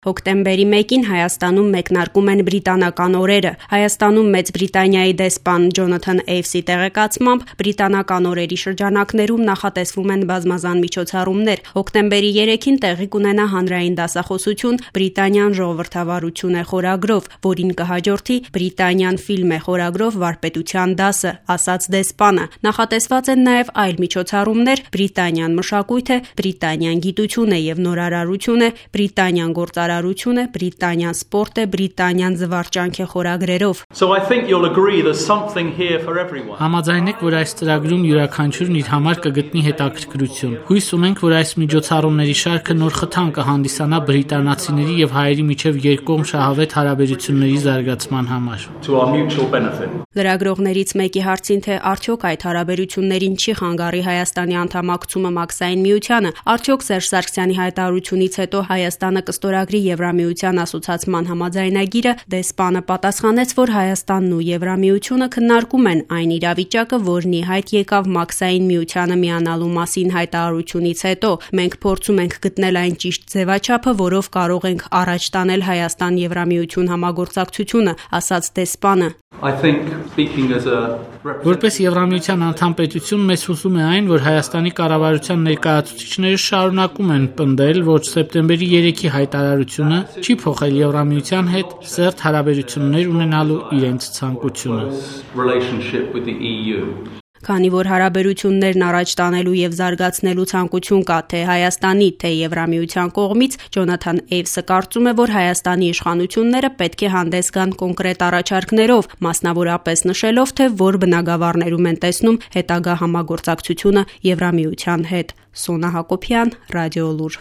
Հոկտեմբերի 1-ին Հայաստանում մեկնարկում են բրիտանական օրերը։ Հայաստանում Մեծ Բրիտանիայի դեսպան Ջոնաթան Էյվսի տեղեկացմամբ բրիտանական օրերի շրջանակներում նախատեսվում են բազմազան միջոցառումներ։ Հոկտեմբերի 3-ին տեղի կունենա հանրային դասախոսություն «Բրիտանիան ժողովրդավարություն է» խորագրով, որին կհաջորդի «Բրիտանիան ֆիլմ է» խորագրով վարպետության դասը, ասաց դեսպանը։ Նախատեսված են նաև այլ միջոցառումներ՝ «Բրիտանիան մշակույթ է», «Բրիտանիան գիտություն է և նորարարություն է», «Բրիտանիան գործարարություն է», «Բրիտանիան սպորտ է», «Բրիտանիան զվարճանք է» խորագրերով։ Համաձայնեք, որ այս ծրագրում յուրաքանչյուրն իր համար կգտնի հետաքրքրություն։ Հույս ունենք, որ այս միջոցառումների շարքը նոր խթան կհանդիսանա բրիտանացիների և հայերի միջև երկկողմ շահավետ հարաբերությունների զարգացման համար։ Լրագրողներից մեկի հարցին, թե արդյոք այդ հարաբերություններին չի խանգարի Հայաստանի անդամակցումը Մաքսային միությանը, արդյոք Սերժ Սարգսյանի հայտարարությունից հետո Հայաստանը կստորագրի Եվրամիության ասոցացման համաձայնագիրը, դեսպանը պատասխանեց, որ Հայաստանն ու Եվրամիությունը քննարկում են այն իրավիճակը, որն ի հայտ եկավ Մաքսային միությանը միանալու մասին հայտարարությունից հետո։ Մենք փորձում ենք գտնել այն ճիշտ ձևաչափը, որով կարող ենք առաջ տանել Հայաստան-Եվրամիություն համագործակցությունը, ասաց դեսպանը։ Որպես Եվրամիության անդամ պետություն մեզ հուզում է այն, որ Հայաստանի կառավարության ներկայացուցիչները շարունակում են պնդել, որ սեպտեմբերի 3-ի հայտարարությունը չի փոխել Եվրամիության հետ սերտ հարաբերություններ ունենալու իրենց ցանկությունը։ Քանի որ հարաբերություններն առաջ տանելու և զարգացնելու ցանկություն կա թե Հայաստանի, թե Եվրամիության կողմից, Ջոնաթան Էյվսը կարծում է, որ Հայաստանի իշխանությունները պետք է հանդես գան կոնկրետ առաջարկներով, մասնավորապես նշելով, թե որ բնագավառներում են տեսնում հետագա համագործակցությունը Եվրամիության հետ։ Սոնա Հակոբյան, Ռադիոլուր։